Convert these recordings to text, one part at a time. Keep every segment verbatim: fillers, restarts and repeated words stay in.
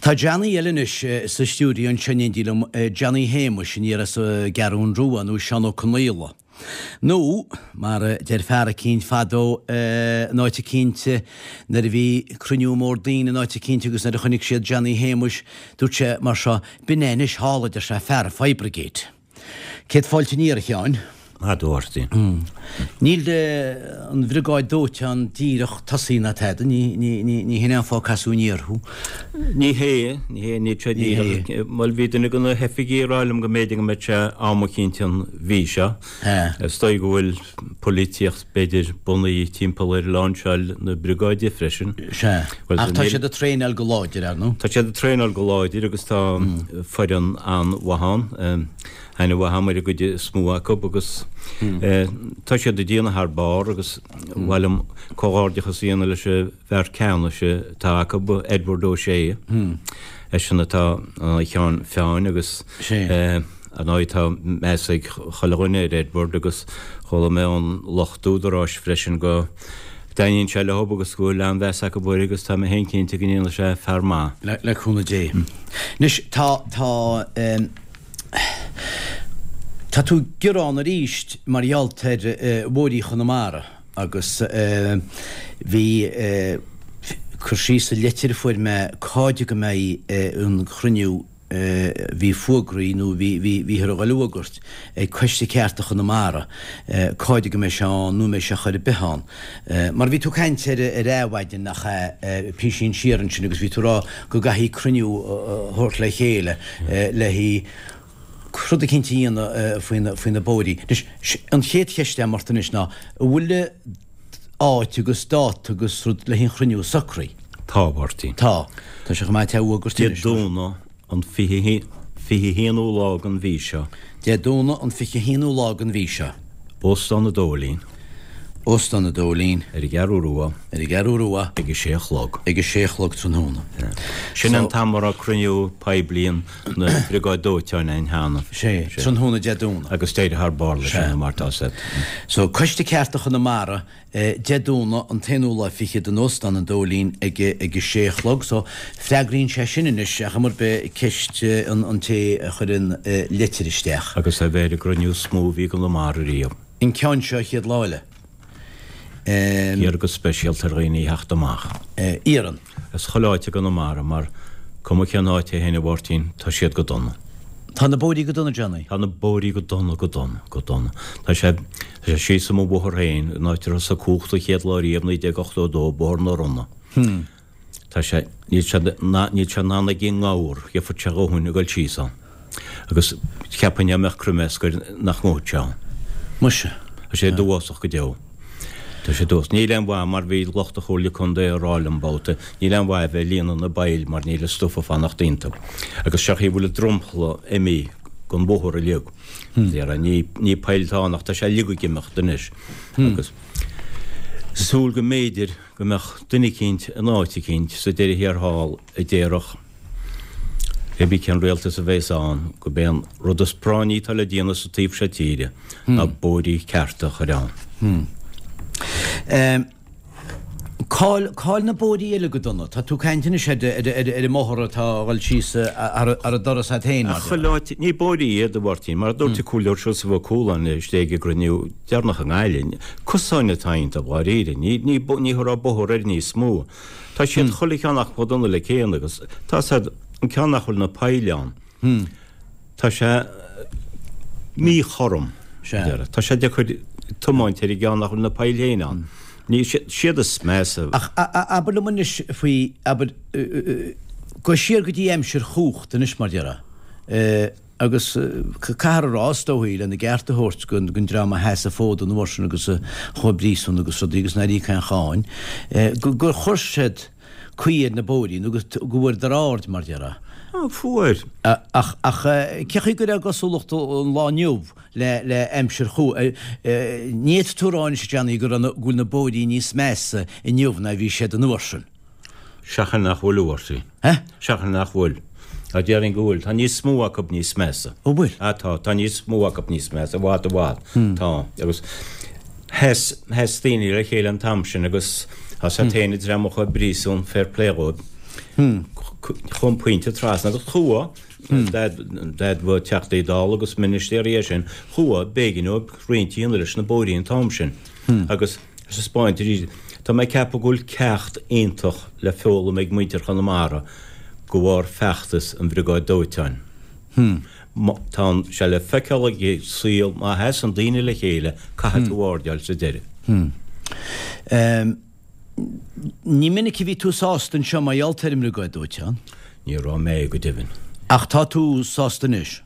Tá Johnny eile anois sa stiúideo anseo in éindí liom, Johnny Shéamuis aniar as an gCeathrú Rua nó Seán Ó Conaola. Nó, mar a deir fear eicínt fadó in áit eicínt nuair a bhí cruinniú mór daoine in áit eicínt agus nuair a chonaic siad Johnny Shéamuis, dúirt sé mar seo, B'in é anois thall, a deir sé, fear an fire brigade. Céad fáilte aniar, a Sheáin. Maith thú, a Mháirtín. Níl an bhriogáid dóiteáin díreach tosaithe ná tada, ní hin é an fáth a casadh aniar thú. Ní hé, ní hé, níl sé díreach. Bhuel, bhí duine de na hoifigigh ag rá liom go mb'fhéidir go mbeadh sé am eicínt an mhí seo. Is dóigh go bhfuil polaitíocht b'fhéidir bunaithe timpeall ar láinseáil na briogáide freisin. Sea. Ach tá siad ag traenáil go láidir, ar ndóigh. Tá siad ag traenáil go láidir agus tá foireann an-mhaith ann. Aithne mhaith agam ar an gcuid is mó acu agus tá siad ag déanamh thar barr agus ba mhaith liom comhghairdeachas a dhéanamh leis an bhfear ceannais atá acu, Edward O'Shea. Eisean atá ina cheann feadhain agus ar ndóigh tá meas ag chuile dhuine ar Edward agus chuala mé ón lucht údaráis freisin go dtaitníonn sé leo agus go bhfuil an-mheas acu air agus tá mé féin cinnte go ndéanfaidh sé fear maith. Le cúnamh Dé. Anois tá, tá. Tá tú ag gearán arís mar gheall ar bhóithrí Chonamara agus bhí cur síos sa leitir a fuair mé cáide go mbeidh an cruinniú bhí fógraí nó bhí bhíothar a dhul a fhógairt ag Coiste Cearta Chonamara cáide go mbeidh sé ann nó an mbeidh sé chor ar bith ann. Mar bhí tú ag caint ar ar Adhmhaidin nach ea písín siar ansin agus bhí tú ag rá go gcaithfí cruinniú a thabhairt le chéile le haghaidh rud eicínt a dhéanamh faoi na faoi na bóithrí. Anois, an chéad cheist agam ort anois ná, an bhfuil áit agus dáta agus rud le haghaidh an chruinniú socraithe? Tá, a Mháirtín. Tá. Tá sé chomh maith é a fhógairt Dé Domhnaigh an fiche fiche haonú lá den mhí seo. Dé Domhnaigh an fiche haonú lá den mhí seo. Óstán an Dóilín. Óstán an Dóilín. Ar an gCeathrú Rua. Ar an gCeathrú Rua. Ag a sé a chlog. Ag a sé a chlog tráthnóna. Sin an t-am a raibh cruinniú poiblí na Briogáide Dóiteáin ann cheana. Sé, tráthnóna Dé Domhnaigh. Agus d'éirigh thar barr leis sin, mar tá said. So, Coiste Cearta Chonamara, Dé Domhnaigh an t-aonú lá fichead in Óstán an Dóilín ag ag a sé a chlog. So, freagraíonn sé sin anois, ar chuma ar bith, ceist an té a chuir an litir isteach. Agus é bheith ar an gcruinniú is mó a bhí i gConamara riamh. An ceann seo an chéad lá eile. Iarr go speisialta ar dhaoine theacht amach. Iarrann. As chuile áit i gConamara mar cuma cén áit é féin a Mháirtín, tá siad go dona. Tá na bóithrí go dona, Johnny. Tá na bóithrí go dona, go dona, go dona. Tá sé, tá sé síos i mo bhóthar féin, an áit a thosaigh cumhacht an chéad lá riamh, naoi déag ochtó a dó, Bóthar na Ronna. Tá sé, níl sé, níl sé in ann ag an ngabhar, gheobhaidh sé a dhóthain ag dul síos ann. Agus cheapfainn dá mbeadh croimeasc air nach ngabhfadh sé ann. Muise. Tá sé dubhásach go deo. Tá sé dubhásach. Níl aon mhaith mar bhí lucht an Chomhairle Contae ag rá liom babhta, níl aon mhaith a bheith ag líonadh na bpoill mar níl an stuif ag fanacht iontu. Agus seo chaoi a bhfuil an dromchla imithe den bhóthar uilig. Déarfá, ní, ní poill atá ann ach tá sé uilig ag imeacht anois. Agus súil go mb'fhéidir go mbeadh duine eicínt in áit eicínt sa deireadh thiar thall a déarfadh, Pé bí cén rialtas a bhéas ann, gurb é an rud is práinní atá le déanamh sa taobh seo tíre ná bóithrí cearta a chur ann. Cá'il, cá'il na bóithrí eile go dona? Tá tú ag caint anois ar, ar, ar, ar an mbóthar atá a dhul síos thar an doras a't féin, mar Chuile áit, ní bóithrí iad, a Mháirtín, mar a dúirt an Comhairleoir Seosamh Ó Cualáin istigh ag an gcruinniú deireanach i nGaillimh, cosáin atá iontu, dháiríre, ní, ní, ní thabharfá bóthar air níos mó. Tá siad chuile cheann acu chomh dona le chéile agus tá siad, an ceann nach bhfuil na poill ann, tá sé míchothrom, tá sé deacair tiomáint ar an gceann nach bhfuil na poill féin ann. Ní, siad is measa. Ach abair liom anois faoi, abair, gabh siar go dtí aimsir chumhachta anois mar déarfá. Agus caithfear a rá, is dóichí, lena gceart a thabhairt don dream a sheas an fód an uair sin agus a chuaigh i bpríosún agus rudaí agus nár íoc aon cháin, gur chuir siad caoi ar na bóithrí nó go bhfuaireadar aird, mar déarfá. Á, fuair. Ach cén chaoi go raibh cosúlacht an lá inniu le aimsir chu. Ní fhéadfaidh tú a rá anois, a Johnny, go raibh, go bhfuil na bóithrí níos measa inniu ná a bhí siad an uair sin. Seachain nach bhfuil, a Mháirtín. Seachain nach bhfuil. Á, déarfainn go bhfuil. Tá níos mó acu níos measa. Ó bhfuil? Á, tá. Tá níos mó acu níos measa, i bhfad, i bhfad. Tá. Agus sheas, sheas daoine le chéile an t-am sin agus tá a fhios a't féin an dream a chuaigh i bpríosún, fair play dhóibh. Chuaigh an pointe trasna agus chuaigh, d'admhaigh Teachtaí Dála agus ministéirí é sin, chuaigh, b'éigean dóibh roinnt a dhéanamh leis na bóithrí an t-am sin. Agus ar taispeáint arís, tá mé ag ceapadh go bhfuil ceacht iontach le foghlaim ag muintir Chonamara de bharr feachtas an Bhriogáid Dóiteáin. Tá sé le feiceáil ag an saol má sheasann daoine le chéile, caithfidh tú airdeáil sa deireadh. Ní minic a bhí tú sásta anseo mar gheall ar an mBriogáid Dóiteáin. Ní raibh mé, go deimhin. Ach tá tú sásta anois?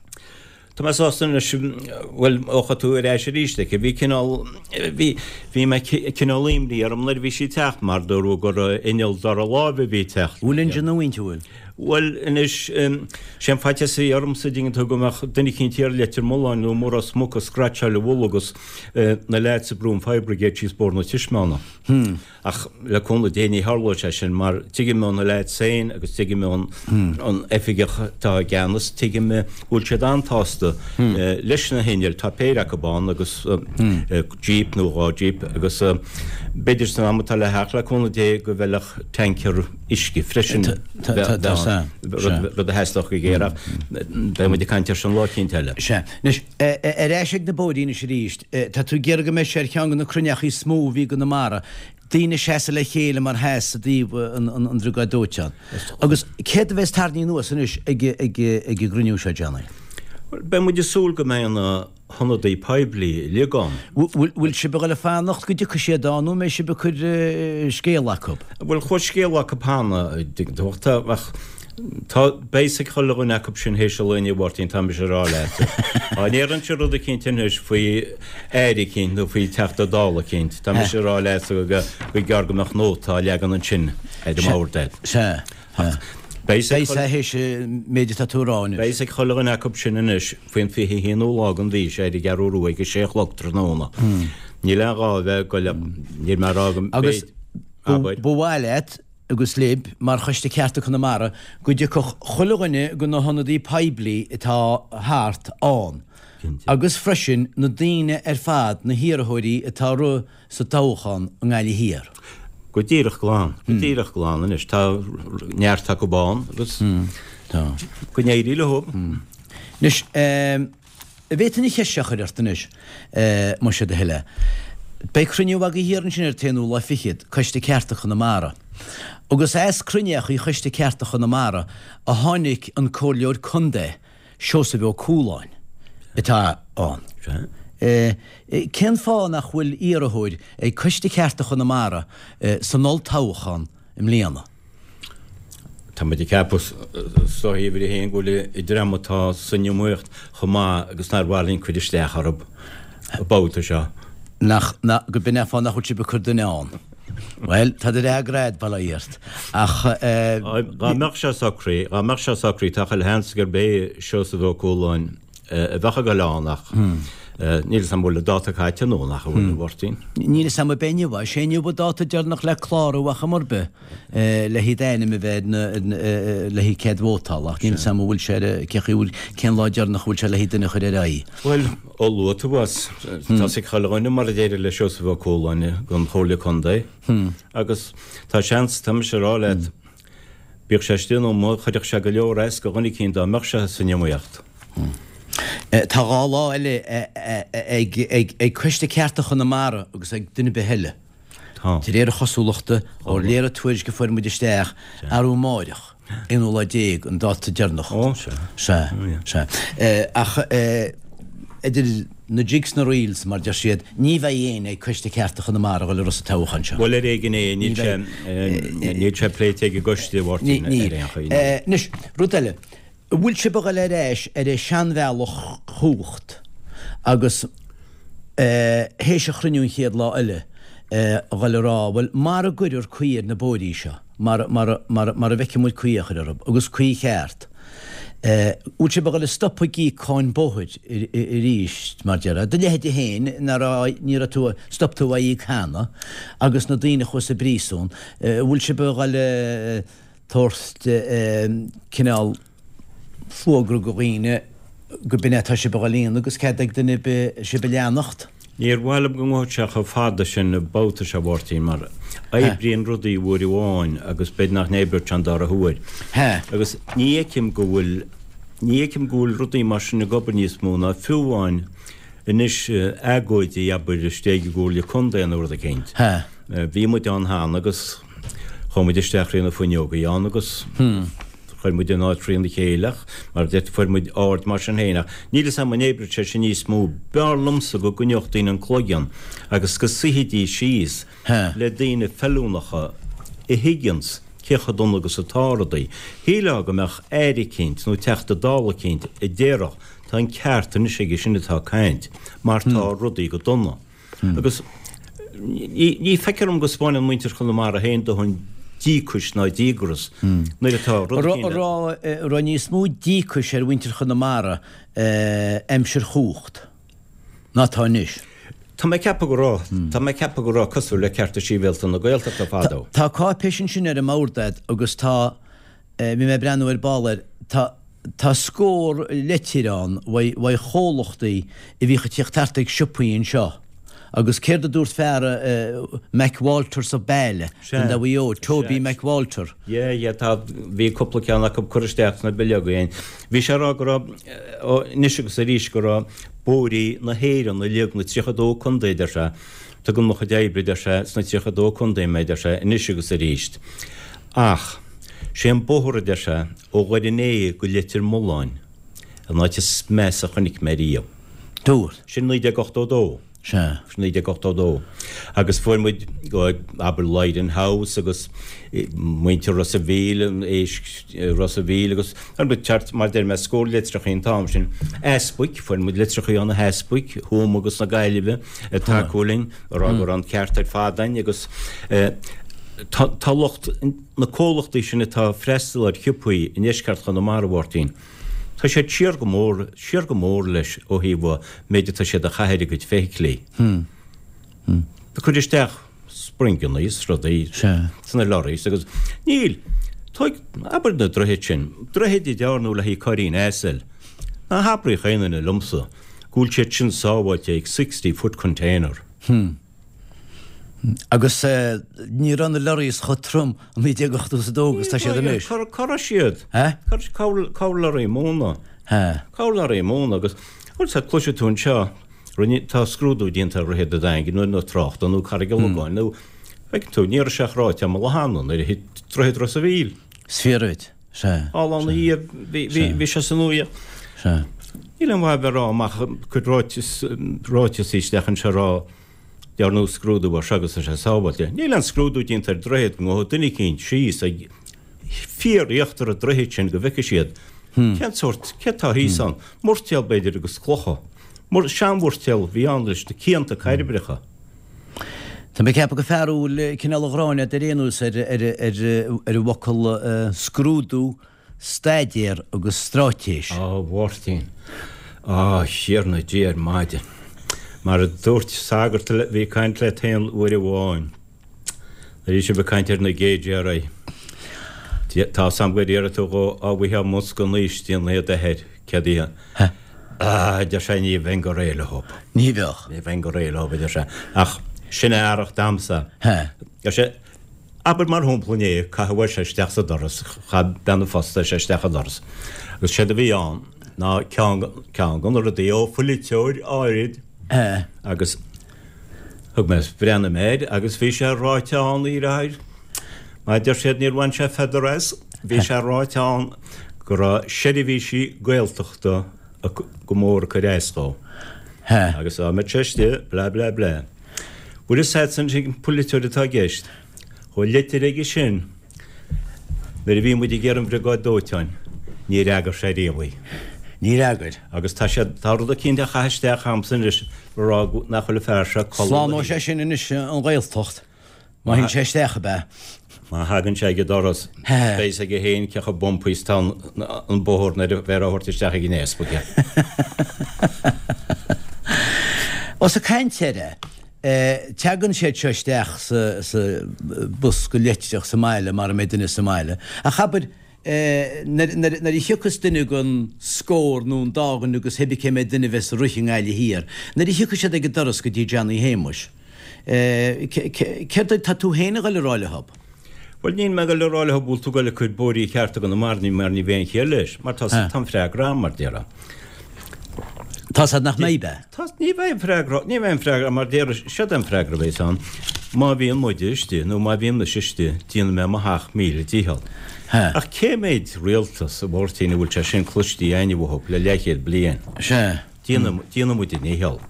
Tá mé sásta anois, bhuel, ó chuaigh tú ar ais arís aici, bhí cineál, bhí, bhí mé cineál imní orm nuair a bhí sí ag teacht mar dúradh gur inneall dara láimhe a bhí ag teacht. Bhfuil injin nua inti, bhfuil? Bhuel, anois, sé an faitíos a bhí ormsa, dtuigeann tú, go mbeadh duine eicínt thiar i Leitir Mealláin nó i Ros Muc ag scratcháil a mhullaigh agus na leaids ag brú an fire brigade síos Bóthar na Taispeána. Ach le cúnamh Dé ní tharlóidh sé sin mar tuigim ó na leaids féin agus tuigim ón oifigeach atá i gceannas, tuigim go bhfuil siad an-tsásta leis na hinnill, tá péire acu ann agus jeep nó dhá jeep agus b'fhéidir san am atá le theacht le cúnamh Dé go bhfeilfeadh tanker uisce freisin rud a theastódh go géar ach beidh muid ag caint air sin lá eicínt eile. Sea. Anois, ar ais ag na bóithrí anois arís, tá tú ag iarraidh go mbeidh sé ar cheann de na cruinneachaí is mó a bhí i gConamara, daoine ag seasamh le chéile mar sheas i dtaobh an Bhriogáid Dóiteáin. Agus céard a bheas tarraingthe anuas anois ag an gcruinniú seo, Johnny? Bhuel, beidh muid ag súil go mbeidh na hionadaí poiblí uilig ann. Bhfuil sibh ag dul a fanacht go dtiocfaidh siad ann nó an mbeidh sibh ag cur scéala acu? Bhuel, chuaigh scéala acu cheana, ach tá, beidh fhios ag chuile dhuine acu sin théis an lae inniu, a Mháirtín, tá mise ag rá leat. Dá ndéarfainnse rud eicínt anois faoi aire eicínt nó faoi Teachta Dála eicínt, tá mise ag rá leat go gur gearr go mbeadh nóta á leagan ansin ar an mbord agat. Sea. Ach beidh fhios théis an méid atá tú a rá anois. Beidh fhios ag chuile dhuine acu sin anois faoin fiche haonú lá den mhí seo ar an gCeathrú Rua ag a sé a chlog tráthnóna. Níl aon ghá a bheith ag goil, níl mé ag rá go Agus ba mhaith leat agus libh, mar Choiste Cearta Conamara, go dtiocfadh chuile dhuine de na hionadaí poiblí atá thart ann. Agus freisin na daoine ar fad, na hiarrthóirí atá ag rith sa toghchán i nGaillimh Thiar. Go díreach glan, go díreach glan anois. Tá neart acu ann agus go n-éirí leo. Anois, an bhféadfainn an cheist seo a chur ort anois, más é do thoil é. Beidh cruinniú agaibh thiar ansin ar an t-aonú lá fichead, Coiste Cearta Chonamara. Agus as cruinneachaí Choiste Cearta Chonamara a tháinig an Comhairleoir Contae, Seosamh Ó Cualáin, atá ann. Cén fáth nach bhfuil iarrthóir ag Coiste Cearta Chonamara san olltoghchán i mbliana? Tá muid ag ceapadh is dóichí uimhir a haon go bhfuil an dream atá san iomaíocht chomh maith agus nár mhaith linn cur isteach orthu an babhta seo. Nach, nach, go b'in é an fáth nach bhfuil sibh ag cur duine ann. Bhuel, tá do fhreagra a'd, bail ó Dhia ort. Ach eh. Dá mbeadh sé socraithe, dá mbeadh sé socraithe, tá chuile sheans gurb é Seosamh Ó Cualáin a bheadh ag dul ann ach níl 'fhios a'm an bhfuil an dáta caite nó nach bhfuil, a Mháirtín. Níl 'fhios a'm ab é inniu é, is é inniu an dáta deireanach le clárú ar chuma ar bith le haghaidh d'ainm a bheith ar na, le haghaidh cead vótála ach níl 'fhios a'm an bhfuil sé ar, cé chaoi bhfuil, cén lá deireanach a bhfuil sé le haghaidh duine a chur ar aghaidh. Bhuel, ó luaigh tú as, tá 'fhios ag chuile dhuine mar a d'éirigh le Seosamh Ó Cualáin don Chomhairle Contae agus tá seans, tá mise ag rá leat, bíodh sé istigh nó amuigh, chuirfeadh sé go leor as do dhuine eicínt dá mbeadh sé san iomaíocht. Tá dhá lá eile ag Coiste Cearta Chonamara agus ag duine ar bith eile. Tá. De réir a chosúlachta, ó réir an tuairisc a fuair muid isteach, arú amáireach, aonú lá déag, an dáta deireanach. Ó, sea. Sea, sea. Ach idir na jigs 's na reels, mar deir siad, ní bheidh éinne ag Coiste Cearta Chonamara a dhul ag rith sa toghchán seo. Bhuel, ar éigean é, níl sé, níl sé pléite ag an gcoiste, a Mháirtín, ar aon chaoi. Anois, rud eile. An bhfuil sibh a dhul ar ais ar an seanbhealach chumhacht agus théis an chruinniú an chéad lá eile a dhul a rá, bhuel, mara gcuirfear caoi ar na bóithrí seo, mara, mara, mara, mara bhfeicfidh muid caoi á chur orthu, agus caoi cheart, bhfuil sibh a dhul a stopadh ag íoc cáin bóthair arís, mar déarfá, do leithéide féin, ná raibh, ní raibh tú, stop tú á íoc cheana, agus na daoine a chuaigh sa bpríosún, bhfuil sibh a dhul a. tabhairt cineál fógra go dhaoine go b'in é atá sibh a dhul a dhéanamh agus cead ag duine ar bith sibh a leanacht. Níor mhaith liom go ngabhfadh sé chomh fada sin an babhta seo, a Mháirtín, mar oibríonn rudaí uair amháin agus b'fhéidir nach n-oibreodh sé an dara huair. Agus ní fheicim go bhfuil, ní fheicim go bhfuil rudaí mar sin ag obair níos mó ná fiú amháin anois agóidí, abair, istigh i gComhairle Contae nó rud eicínt. Bhí muid ann cheana agus chuaigh muid isteach thrí na fuinneogaí ann agus. Chuir muid an áit thrína chéile ach, mar a deir tú, fuair muid aird mar sin féin ach níl 'fhios a'm an oibreodh sé sin níos mó. B'fhearr liomsa go gcoinneodh daoine an cloigeann agus go suífidís síos le daoine feiliúnacha a thuigeanns cé chomh dona agus atá rudaí. Shílfeá go mbeadh aire eicínt nó Teachta Dála eicínt a déarfadh tá an ceart anois aige sin atá ag caint mar tá rudaí go dona. Agus ní feictear dom go 'spáineann muintir Chonamara féin dóthain díocais ná díograis nuair atá rud éicint. An raibh níos mó díocais ar mhuintir Chonamara aimsir chumhacht ná atá anois? Tá mé ag ceapadh go raibh. Tá mé ag ceapadh go raibh, cosúil le cearta sibhialta na Gaeltachta fadó. Tá cáipéis ansin ar an mbord a'd agus tá, bhí mé ag breathnú ar ball air, tá, tá scór leitir ann uaidh chomhlachtaí a bhíodh ag tíocht thart ag siopaí anseo. Agus céard a dúirt fear McWalters of Bale, Contae Mhaigh Eo, Toby McWalter? Yeah, yeah, tá, bhí cúpla ceann acu curtha isteach sna bileoga againn. Bhí sé ag rá go raibh, ó, anois agus arís, go raibh bóithrí na hÉireann uilig, na tríocha dó contae, deir sé, tugann mo chuid oibre, deir sé, sna tríocha dó contae mé, deir sé, anois agus arís. Ach, sé an bóthar, a deir sé, ó Dhoire an Fhéich go Leitir Mealláin, an áit is measa a chonaic mé riamh. Dúirt. Sin naoi déag ochtó dó. Sea. Sin naoi déag ochtó dó. Agus fuair muid go, abair, Lyden House agus muintir Ros a' Mhíl, an éisc Ros a' Mhíl agus fuair muid thart, mar deir mé, scór litreachaí an t-am sin. Easpaig, fuair muid litreachaí ó na heaspaig, Thuama agus na Gaillimhe ag tacú linn, ag rá go raibh an ceart ar fad againn agus tá, tá lucht na comhlachtaí sin atá ag freastal ar shiopaí i ndeisceart Chonamara, a Mháirtín, Tá siad siar go mór, siar go mór leis ó thaobh an méid atá siad a chaitheamh ar a gcuid feithiclí. Ag cur isteach springanna is rudaí sna lorries agus níl, tóig, abair na droichid sin, droichid a dearnadh le haghaidh cairrín asail, ná habraíodh aon duine liomsa go bhfuil siad sin sábháilte ag sixty foot container. Agus ní raibh na lorries chomh trom i naoi déag ochtó is a dó agus tá siad anois. Cá raibh siad? Cá raibh lorraí móna? Cá raibh lorraí móna agus bhuel sea cloisfidh tú anseo rinne tá scrúdú déanta ar Dhroichead an Daingin nó nó tráchta nó Carraig an Logáin nó feiceann tú ní raibh sé ach ráite tamall ó cheana nuair a thit Droichead Ros a' Mhíl. Is fíor duit. Sea. Thall ann a bhí bhí sé san uaigh. Sea. Níl aon mhaith a bheith ag rá amach cuid ráiteas ráiteas isteach anseo a rá Dearnadh scrúdú air seo agus tá sé sábháilte. Níl aon scrúdú déanta ar droichead go ngabhfadh duine eicínt síos ag fíor-íochtar an droichid sin go bhfeicfidh siad cén sórt, céard tá thíos ann. Moirtéal b'fhéidir agus clocha. Seanmhoirtéal a bhí ann leis na cianta cairbreacha. Tá mé ag ceapadh gur fearúil cineál an ghráin agat ar aon nós ar an bhfocal scrúdú staidéar agus stráitéis. Á, a Mháirtín, á, a Thiarna Dia ar maidin. Mar a dúirt sagart a bhí ag caint leat féin uair amháin, nuair a bhí sibh ag caint ar na géidéaraí, tá 'fhios a'm gur iarr tú dhó, á bhfaighfeá mbosca naoistín a d'athair, céad oíche. Á, a deir sé, ní bheinn go réidh leo. Ní bheadh. Ní bheinn go réidh leo, a deir sé, ach sin a fhearacht a'msa. Deir sé, Abair mar shampla inné, caitheadh sé isteach sa doras, chaith bean an phosta sé isteach an doras. Agus séard a bhí ann ná ceann, ceann de na rudaí ó pholaiteoir áirid agus thug mé, bhreathnaigh mé air agus bhí sé ráite ann, a dheartháir, mar a deir siad níor bhain sé feather as, bhí sé ráite ann go raibh seirbhísí Gaeltachta go mór ag cur as dó. Agus dá mbeadh sé istigh, blah blah blah. Bhfuil fhios a'd an polaiteoir atá i gceist? Chuaigh litir aige sin nuair a bhí muid ag iarraidh an bhriogáid dóiteáin. Níor fhreagair sé riamh í. Níor fhreagair. Agus tá sé, tá rud eicínt á chaitheamh isteach a'msa anois a rá nach bhfuil an fear seo ag codladh. Slánóidh sé sin anois an Ghaeltacht. Má théann sé isteach, ab ea? Má thagann sé ag an doras, beidh fhios aige féin cé chomh bumpy is atá an bóthar nuair a bheifear á thabhairt isteach ag an easpag é. Ós ag caint air é, teagann siad seo isteach sa bosca leitreach sa mbaile, mara mbeidh duine sa mbaile. Ach abair, Nuair a thiocfas duine den scór nó an dá dhuine agus cibé cé mhéad duine a bheas ag rith i nGaillimh Thiar, nuair a thiocfaidh siad ag an doras go dtí Johnny Shéamuis, céard atá tú féin a ghoil a rá leob? Bhuel, níl mé ag goil a rá leob bhfuil tú ag goil ag cur bóithrí cearta i gConamara mar ní bheidh aon chiall leis, mar tá tá an freagra a'm, mar déarfá. Tá's a'd nach mbeidh, bea? Tá, ní bheidh an freagra, ní bheidh an freagra, mar déarfá, seod é an freagra a bheas ann, má bhíonn muide istigh, nó má bhíonn mise istigh, déanfaidh mé mo sheacht míle dícheall. Sea. Ach cé méid rialtas, a Mháirtín, a bhfuil sé sin cloiste a'inne uathub le leathchéad bliain? Sea. Déanfaidh, déanfaidh muid a ndícheall.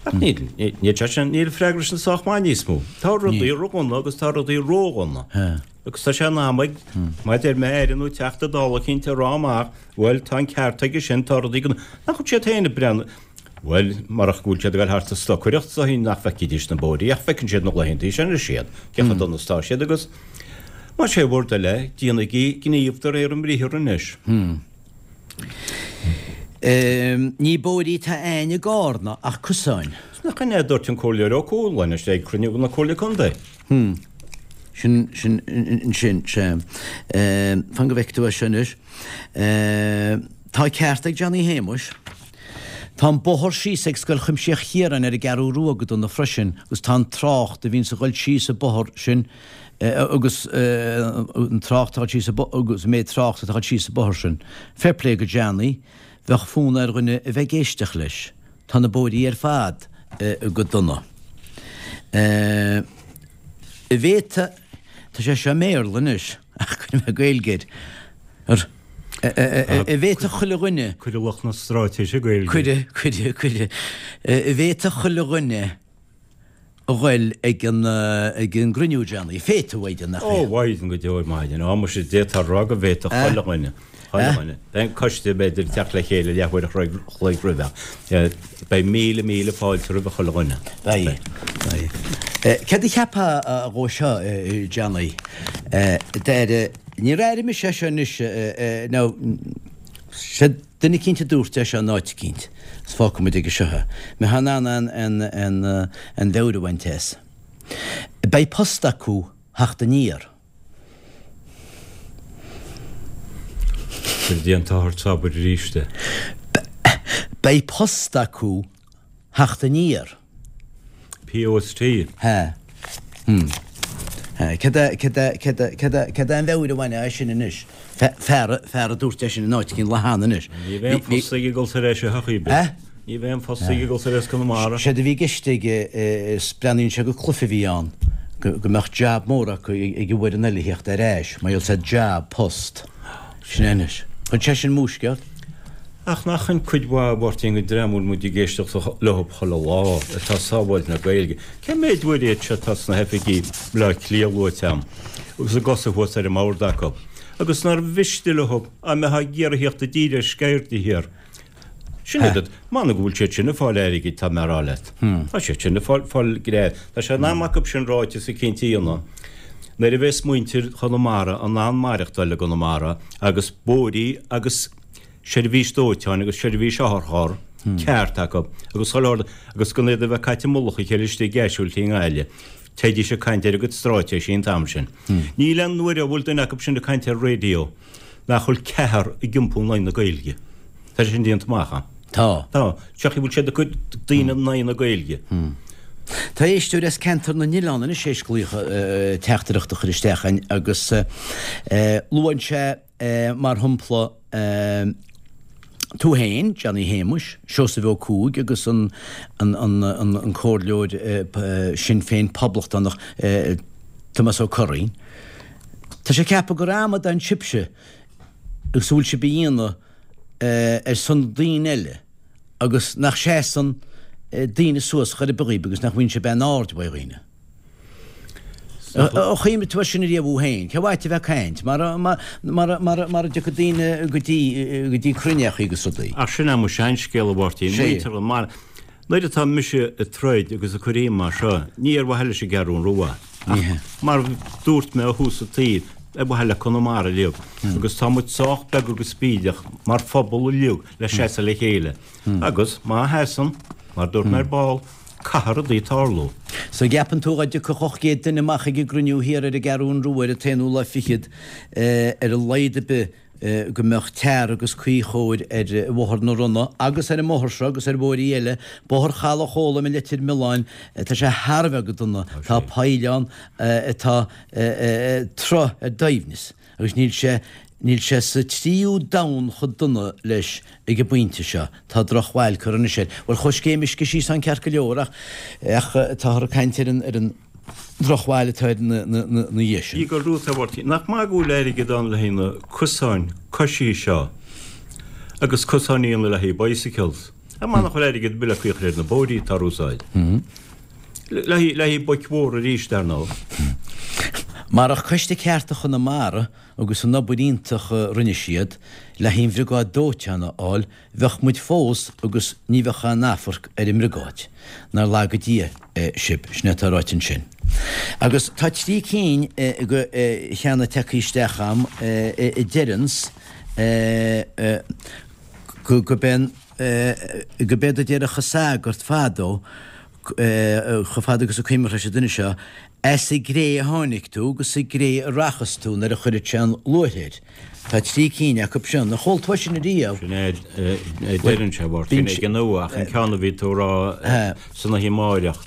Ach níl, níl sé sin, níl an freagra sin sách maith níos mó. Tá rudaí ro-dhona agus tá rudaí ró-dhona. Sea. Agus tá sé in am ag, má deir mé Aire nó Teachta Dála eicínt a rá amach, bhuel, tá an ceart aige sin, tá rudaí go, nach bhfuil siad féin ag breathnú, bhuel, marach go bhfuil siad ag dul thart ag stocaireacht is dóichí nach bhfeicfidís na bóithrí, ach feiceann siad na laethantaí sin anois iad, cé chomh dona is atá siad agus, más é bhur dtoil é, déanaigí gníomh de réir a mbriathar anois. Ní bóithrí atá a'ainn i gCárna ach cosáin. Nach in é a dúirt an Comhairleoir Ó Cualáin ag cruinniú na Comhairle Contae? Sin, sin, sin, sea. Fan go bhfeicfidh tú é seo anois. Tá ceart ag Johnny Shéamuis. Tá an bóthar síos ag Scoil Chuimsitheach Chiaráin ar an gCeathrú Rua go dona freisin agus tá an trácht a bhíonns ag dhul síos an bóthar sin agus an trácht atá síos agus an méid trácht atá ag dhul síos an bóthar sin. Fair play go Johnny, bheadh fonn ar dhuine a bheith ag éisteacht leis. Tá na bóithrí ar fad go dona. An bhféadfadh, tá sé seo i mBéarla anois ach cuirfidh mé Gaeilge air, an bhféadfadh chuile dhuine. Cuirfidh lucht na straitéise Gaeilge. Cuirfidh, cuirfidh, cuirfidh. An bhféadfadh chuile dhuine a ghoil ag an ag an gcruinniú, Johnny. Féadfaidh, a Mhaighdean, nach Ó, féadfaidh? Mhaighdean go deo ar maidin. Á, muise, d'fhéadfá a rá go bhféadfadh chuile dhuine, chuile Eh? dhuine. Beidh an coiste, b'fhéidir, ag teacht le chéile leathuair a chloig roimhe. Beidh míle, míle fáilte roimhe chuile dhuine. Beidh, beidh. Céard a cheapfá dhó seo, Johnny? Deir, níor airigh mise é seo anois, nó, sé Duine eicínt a dúirt é seo in áit eicínt, is fágfaidh muid aige seo é. Mbeifeá in ann an, an, an mheabhair a bhaint as. Beidh post acu theacht aniar. Cuir déan t-athair t'abair arís é. Beidh post acu theacht aniar. POST. Hea. Hm. Hea. Cad é, cad é, cad é, cad é, cad é an mheabhair a bhainfeá as sin anois? Fear, fear a dúirt é sin in áit eicínt lá cheana anois. Ní bheidh aon phost ag dul tar éis a shochaí bith. Eh? Ní bheidh aon phost ag dul tar éis Conamara. Séard a bhí i gceist aige, is breathnaíonn sé gur cluiche a bhí ann, go, go mbeadh jab mór acu ag an bhfoireann eile a theacht ar ais, mar gheall said job, post. Sin é anois. Chuir sé sin múisce ort? Ach nach in cuid mhaith, a Mháirtín, den dream a bhfuil muid ag éisteacht leo chuile lá, atá ag sábháilt na Gaeilge. Cé méid uair iad seo atá sna hoifigí Bleá Cliath luaite a'm, agus a gcosa thuas ar an mbord acu, agus nár mhiste leo dá mbeifeá ag iarraidh theacht i dtír ar sceir de shíor. Sin iad, m'anam go bhfuil siad sin ag fáil airgid, tá mé a rá leat. Tá siad sin ag fáil, fáil gread. Tá sé in am acu sin ráiteas eicínt a dhéanamh. Nuair a bheas muintir Chonamara in ann maireachtáil i gConamara agus bóithrí agus seirbhís dóiteáin agus seirbhís otharcharr ceart acu agus chuile shórt agus gan iad a bheith caite i mullach a chéile istigh i gCaisiúiltí i nGaillimh. Téidís ag caint ar a gcuid stráitéisí an t-am sin. Níl aon uair a bhfuil duine acu sin ag caint ar raidió nach bhfuil ceathrar ag iompú in aghaidh na Gaeilge. Tá sé sin déanta amach a'm. Tá. Tá. Seo chaoi a bhfuil siad ag cur daoine in aghaidh na Gaeilge. Tá éisteoir as Ceantar na nOileán anois théis glaoch teachtaireacht a chur isteach againn agus luann sé mar shampla tú féin, Johnny Shéamuis, Seosamh Ó Cuaig agus an an comhairleoir Sinn Féin poblachtánach Tomás Ó Curraoin. Tá sé ag ceapadh gur amadán sibhse agus a bhfuil sibh a dhéanamh ar son daoine eile agus nach seasann daoine suas chor ar bith dhaoib agus nach bhfaigheann sibh aon aird uaidh dhaoine. Ar chuimhnigh tú air sin ariamh thú féin? Cé mhaith a bheith ag caint? Mar, mar, mar, mar, mara dtiocfaidh daoine go dtí, go dtí cruinneachaí agus rudaí. Ach sin é mo sheanscéal, a Mháirtín. Sea. Muintir an mar, nuair atá mise ag troid agus ag cur fhím mar seo, ní ar mhaithe leis an gCeathrún Rua, Ní hea. ach mar dúirt mé ó thús an tsaoil, ar mhaithe le Conamara uilig. Agus tá muid sách beag agus bídeach mar phobal uilig le seasamh le chéile. Agus má sheasann, mar dúirt mé ar ball, Caithfidh rudaí tarlú. So gceapann tú dá dtiocfadh ocht gcéad duine amach ag an gcruinniú thiar ar an gCeathrún Rua ar an t-aonú lá fichead ar a laghad ar bith go mbeadh tear agus caoi chóir ar Bhóthar na Ronna agus ar an mbóthar seo agus ar bhóithrí eile, Bóthar Chaladh Chóilm i Leitir Mealláin, tá sé thar a bheith go dona, tá poill ann atá troigh ar doimhneas agus níl sé Níl sé sa tríú domhan chomh dona leis ag an bpointe seo. Tá drochbhail curtha anois air. Bhuel, chuaigh scéim uisce síos ann ceart go leor ach ach táthar ag caint ar an ar an drochbhail atá air na na na na dhiaidh sin. Igor Ruth a Mháirtín, nach maith go bhfuil airgead ann le haghaidh na cosáin coisí seo agus cosáin a dhéanamh le haghaidh bicycles. An maith nach bhfuil airgead ar bith le caoi a chur ar na bóithrí atá ar úsáid. Le haghaidh le haghaidh boic mhóra arís, dar ndóigh. Marach Coiste Cearta Chonamara agus an obair iontach a rinne siad le haghaidh an bhriogáid dóiteáin a fháil, bheadh muid fós agus ní bheadh aon amharc ar an mbriogáid. Nár laga Dia sibh, sin é atá ráite ansin. Agus tá trí cinn de cheanna tagtha isteach agam a deireanns go b'é go b'éard a déarfadh an sagart fadó, chomh fada agus a cuimhneach leis an duine seo, As an gcré a tháinig tú agus sa gcré a rachas tú nuair a chuirfead sé an luaith air. Tá trí cinn acu sin. Ar chuala tú é sin ariamh? Sin é a deireann sé, a Mháirtín, ag an ua, ach an ceann a bhí tú a rá san oíche amáireach,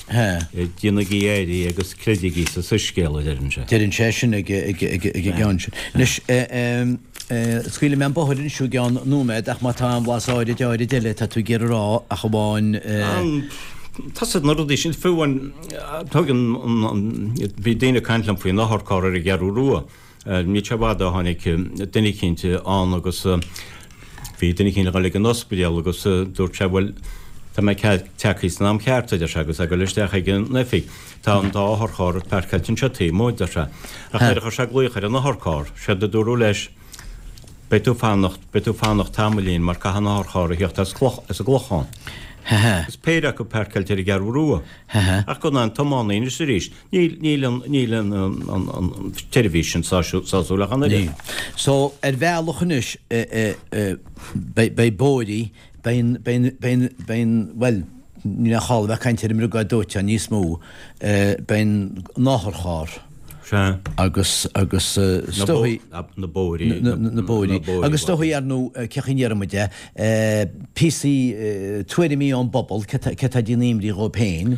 déanaigí éirí agus creidigí sa soiscéal, a deireann sé. Deireann sé sin ag an gceann sin. Anois, scaoilfidh mé an bóthar anois i gceann nóiméad ach má tá aon bhlas áirid áirid eile atá tú ag iarraidh a rá ach amháin. Tá siad na rudaí sin, fiú an, tugann an, bhí daoine ag caint liom faoin otharcharr ar an gCeathrú Rua. Níl sé i bhfad ó tháinig duine eicínt ann agus bhí duine eicínt ag dul ag an ospidéal agus dúirt sé, bhuel, tá mé tagtha san am ceart, a deir sé, agus ag dul isteach ag an oifig. Tá an dá otharcharr páirceáilte anseo taobh amuigh, a deir sé. Ach nuair a chuir sé glaoch ar an otharcharr, séard a dúradh leis, Beidh tú fanacht, beidh tú fanacht tamaillín mar caithfidh an otharcharr a theacht as Cloch, as an gClochán. Agus péire acu páirceáilte ar an gCeathrú Rua. Ach gan aon tiománaí anois arís. Níl, níl an, níl an, an, an tseirbhís sin sásúil ach an oiread. Níl. So, ar bhealach anois, beidh, beidh bóithrí, beidh an, beidh an, beidh an, beidh an, bhuel, níl aon chall a bheith ag caint ar an mbriogáid dóiteáin níos mó, beidh an, an otharcharr. Sea. Agus, agus is dóigh. Na bóithrí. Na bóithrí. Agus is dóigh, ar ndóigh, cén chaoi a ndéarfaidh muid é, píosaí, tuairimí ón bpobal, cé tá ag déanamh imní dhóibh féin,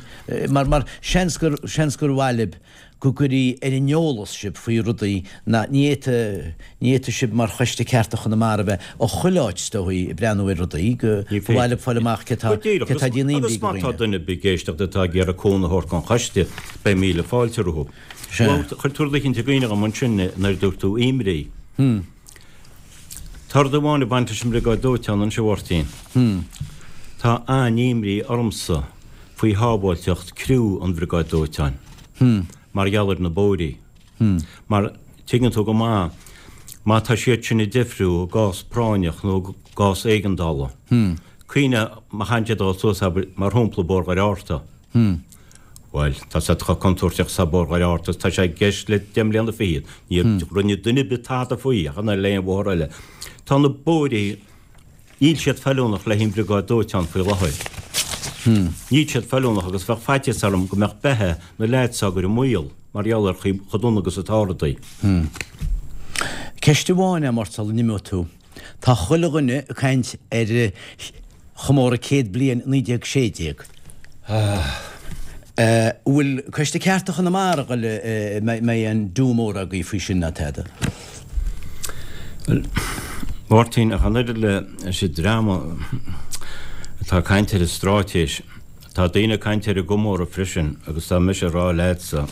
mar, mar seans gur, seans gur mhaith libh go gcuirfí ar an eolas sibh faoi rudaí ná, ní fhéadfaidh, ní fhéadfaidh sibh mar Choiste Cearta Chonamara bheith i chuile áit is dóigh ag breathnú ar rudaí, go, ba mhaith libh fáil amach cé tá, cé tá ag déanamh imní Agus do má tá dhaoine. duine ar bith ag éisteacht atá ag iarraidh cúnamh a thabhairt don choiste, beidh míle fáilte rompu. Sea. Chuir tú rud eicínt i gcuimhne dhom ansin nuair a dúirt tú imní. Tá rud amháin ag baint leis an mbriogáid dóiteáin anseo, a Mháirtín. Tá an-imní ormsa faoi shábháilteacht criú an bhriogáid dóiteáin mar gheall ar na bóithrí. Mar tuigeann tú go maith, má tá siad sin ag deifriú i gcás práinneach nó i gcás éigeandála, cuimhnigh má théann siad dul suas, abair, mar shampla, Bóthar Dhoire Fhatharta. Bhuel, tá siad chomh contúirteach is atá Bóthar Dhoire Fhatharta is tá sé i gceist le deich mbliana fichead. Níor rinne duine ar bith tada faoi ach an oiread le aon bhóthar eile. Tá na bóithrí, níl siad feiliúnach le haghaidh an bhriogáid dóiteáin faoi láthair. Níl siad feiliúnach agus bheadh faitíos orm go mbeadh beatha na leaids á gcur i mbaol mar gheall ar chomh dona agus atá rudaí. Ceist amháin, a Mháirt, sula n-imeoidh tú. Tá chuile dhuine ag caint ar chomóradh céad bliain naoi déag sé déag. An bhfuil Coiste Cearta Chonamara ag dul, mbeidh aon do mór agaibh faoi sin ná tada? Bhuel, Mháirtín, ach an oiread leis an dream atá ag caint ar an stráitéis, tá daoine ag caint ar an gcomóradh freisin agus tá mise ag rá leatsa,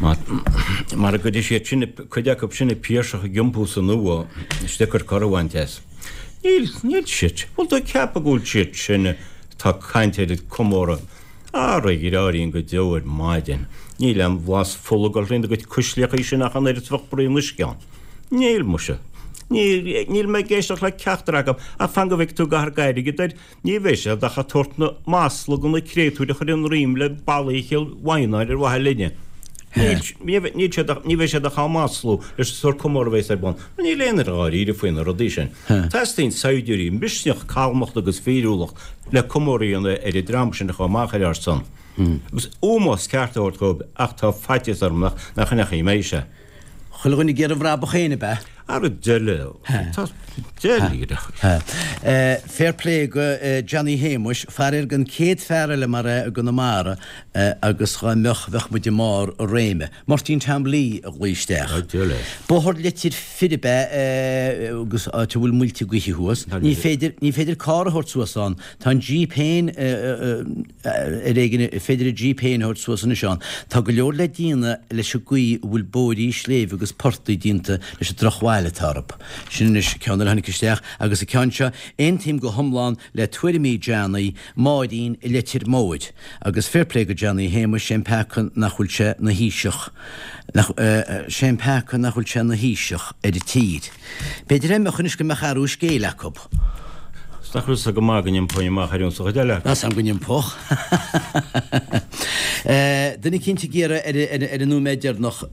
mara gcuirfidh siad sin, cuid acu sin an Piarsach ag iompú san ua, is deacair cor a bhaint as. Níl, níl siad, bhfuil tú ag ceapadh go bhfuil siad sin atá ag caint ar an gcomóradh, ara a dhreáirín go deo ar maidin, níl aon bhlas fola ag dul thrína gcuid cuisleachaí sin ach an oiread is bheadh braon uisce ann. Níl, muise. Níl, níl mé ag éisteacht le ceachtar acu, ach fan go bhfeicfidh tú go gcaithfear airgead air, ní bheidh siad ach ag tabhairt na masla do na créatúir a chuireann roim le ballaí Chill Mhaighneáin ar mhaithe linne. Níl níl siad ní bheidh siad ach á maslú leis an sórt comóradh a bheas ar bun. Mar níl aon duine dháiríre faoi na rudaí sin. Teastaíonn saighdiúirí, misneach, calmacht agus fíriúlacht le comóradh a dhéanamh ar an dream sin a chuaigh amach ar ár son. Agus ómós ceart a thabhairt dóibh ach tá faitíos orm nach nach in é a mbeidh sé. Chuile dhuine ag iarraidh a bhrabach féin, ab ea? Ara deile, tá deile. Fair play go Johnny Shéamuis, faraor gan céad fear eile mar é i gConamara agus dhá mbeadh, bheadh muid i mbarr a réime. Máirtín Tom Lee a ghlaoigh isteach. Bóthar Leitir Fir ab ea agus áit a bhfuil muilte gaoithe thuas. Ní féidir, ní féidir carr a thabhairt suas ann. Tá an Jeep féin ar éigean, féidir an Jeep féin a thabhairt suas anois ann. Tá go leor le déanamh leis an gcaoi a bhfuil bóithrí sléibhe agus portaigh déanta leis an drochbhail atá orthu. Sin anois ceann eile a tháinig isteach agus an ceann seo, aontaím go hiomlán le tuairimí Johnny, Máirín i Leitir Móir. Agus fair play go Johnny Shéamuis, sé an peaca nach bhfuil sé 'na Thaoiseach, nach, sé an peaca nach bhfuil sé 'na Thaoiseach ar an tír. B'fhéidir é mbeadh anois go mbeadh athrú scéil acu. Is nach raibh 'fhios go maith go n-iompóinn amach ar an chuid eile. Measaim go n-iompódh. Duine eicínt ag iarraidh ar an nóiméad deireanach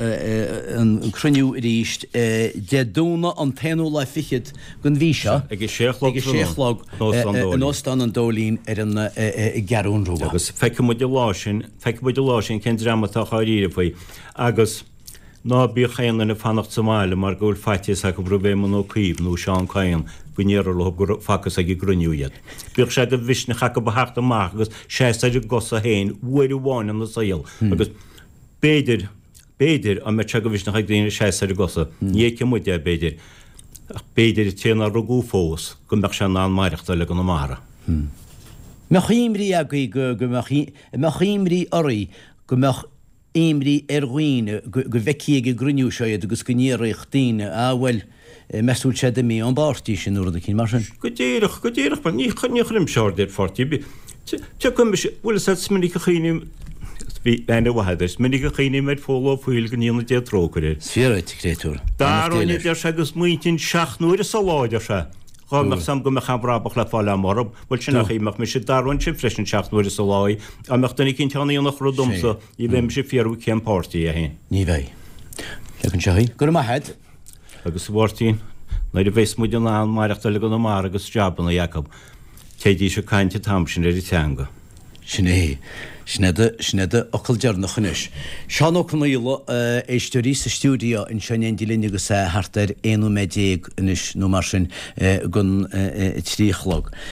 an cruinniú arís Dé Domhnaigh an t-aonú lá fichead den mhí seo Ag a sé a chlog ag a sé a chlog in Óstán an Dóilín ar an gCeathrú Rua. Agus feicfidh muid an lá sin, feicfidh muid an lá sin cén dream atá dháiríre faoi. Agus. Ná bíodh aon duine ag fanacht sa mbaile mar go bhfuil faitíos acu roimh Éamon Ó Cuív nó Seán Kyne go ndéarfar leo gur facthas ag an gcruinniú iad. Bíodh sé de mhisneach acu a theacht amach agus seasamh ar a gcosa féin uair amháin ina saol agus b'fhéidir, b'fhéidir, dá mbeadh sé de mhisneach ag daoine seasamh ar a gcosa, ní fheicfidh muid é, b'fhéidir, ach b'fhéidir an té nár rugadh fós, go mbeadh sé in ann maireachtáil i gConamara. Mbeadh imní agaibh go, go mbeadh, mbeadh imní oraibh go mbeadh imní ar dhaoine go bhfeicfí ag an gcruinniú seo iad agus go ndéarfadh daoine, ah bhuel, meas tú an bhfuil sé imithe ón bpáirtí sin nó rud eicínt mar sin. Go díreach, go díreach, mar ní chuirimse aird ar pháirtí ar bith. Tiocfaidh mise, bhuel is is minic a chuimhním, bhí aithne mhaith agat air, is minic a chuimhním ar Phól Ó Foighil go ndéana Dia trócaire air. Is fíor duit, a chréatúr. Beannacht Dé leis. Deir sé go smaointínn seacht n-uaire sa lá, deir sé. Dhá mbeadh 's a'm go mbeadh aon bhrabach le fáil a'm orthub, bhuel sin an chaoi a mbeadh mise, d'athróinnse freisin seacht n-uaire sa lá í. Dá mbeadh duine eicínt ann a dhéanfadh rud domsa, ní bheidh mise ag fiafraí cén páirtí é féin. Ní bheidh. Leag anseo í. Go raibh maith a'd. Agus a Mháirtín, nuair a bheas muid in ann maireachtáil i gConamara agus jabanna acu, téidís ag caint an t-am sin ar an teanga. Sin é. Sin é do, sin é do fhocal deireanach anois. Seán Ó Conaola, éisteoirí sa stiúideo anseo in éindí linn agus é thart ar aon nóiméad déag anois nó mar sin don trí a chlog.